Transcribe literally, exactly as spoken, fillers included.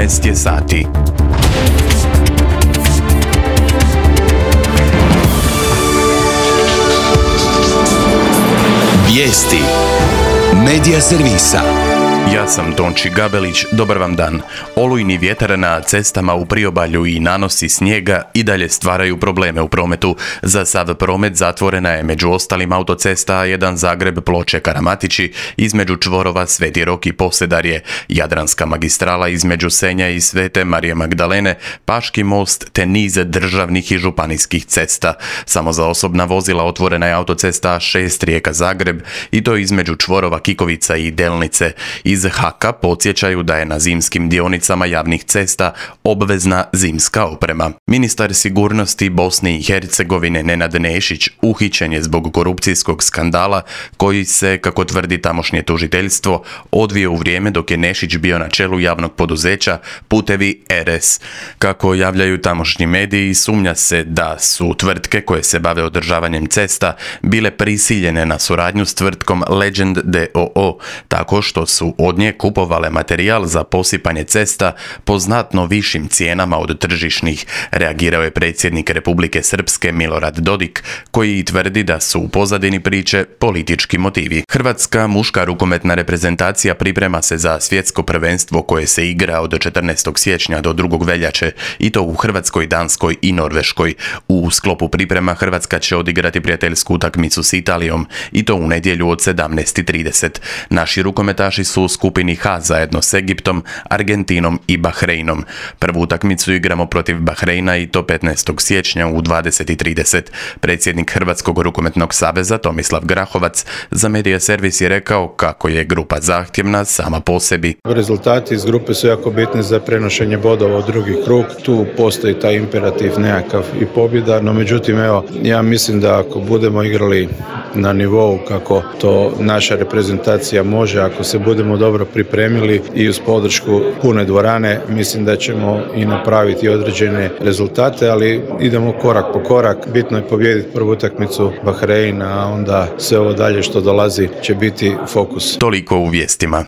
jedanaest je sati. Vijesti Medija servisa. Ja sam Tonči Gabelić, dobar vam dan. Olujni vjetar na cestama u priobalju i nanosi snijega i dalje stvaraju probleme u prometu. Za sav promet zatvorena je među ostalim autocesta A jedan Zagreb Ploče Karamatići, između čvorova Sveti Rok i Posedarje, Jadranska magistrala između Senja i Svete Marije Magdalene, Paški most te niz državnih i županijskih cesta. Samo za osobna vozila otvorena je autocesta A šest Rijeka Zagreb i to između čvorova Kikovica i Delnice. Iz Haka podsjećaju da je na zimskim dionicama javnih cesta obvezna zimska oprema. Ministar sigurnosti Bosne i Hercegovine Nenad Nešić uhićen je zbog korupcijskog skandala koji se, kako tvrdi tamošnje tužiteljstvo, odvio u vrijeme dok je Nešić bio na čelu javnog poduzeća Putevi R S. Kako javljaju tamošnji mediji, sumnja se da su tvrtke koje se bave održavanjem cesta bile prisiljene na suradnju s tvrtkom Legend d o o, tako što su od nje kupovale materijal za posipanje cesta po znatno višim cijenama od tržišnih, reagirao je predsjednik Republike Srpske Milorad Dodik, koji tvrdi da su u pozadini priče politički motivi. Hrvatska muška rukometna reprezentacija priprema se za svjetsko prvenstvo koje se igra od četrnaestog siječnja do drugog veljače, i to u Hrvatskoj, Danskoj i Norveškoj. U sklopu priprema Hrvatska će odigrati prijateljsku utakmicu s Italijom, i to u nedjelju od sedamnaest i trideset. Naši rukometaši su u skupini H zajedno s Egiptom, Argentinom i Bahreinom. Prvu utakmicu igramo protiv Bahreina i to petnaestog siječnja u dvadeset i trideset. Predsjednik Hrvatskog rukometnog saveza Tomislav Grahovac za Medija servis je rekao kako je grupa zahtjevna sama po sebi. Rezultati iz grupe su jako bitni za prenošenje bodova u drugi krug. Tu postoji taj imperativ nekakav i pobjeda, no međutim evo, ja mislim da ako budemo igrali na nivou kako to naša reprezentacija može, ako se budemo dobro pripremili i uz podršku pune dvorane, mislim da ćemo i napraviti određene rezultate, ali idemo korak po korak. Bitno je pobijediti prvu utakmicu Bahreina, a onda sve ovo dalje što dolazi će biti fokus. Toliko u vijestima.